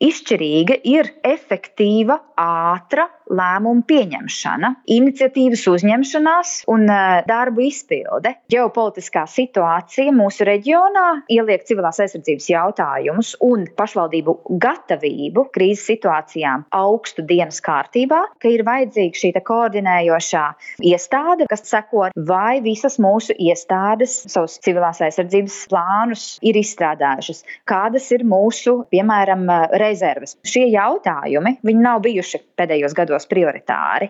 izšķirīga ir efektīva, ātra lēmumu pieņemšana, iniciatīvas uzņemšanās un darbu izpilde. Ģeopolitiskā situācija mūsu reģionā ieliek civilās aizsardzības jautājumus un pašvaldību gatavību krīzes situācijām augstu dienas kārtībā, ka ir vajadzīga šī koordinējošā iestāde, kas seko, vai visas mūsu iestādes savus civilās aizsardzības plānus ir izstrādājušas, kādas ir mūsu, piemēram, rezerves. Šie jautājumi, viņi nav bijuši pēdējos gados prioritāri.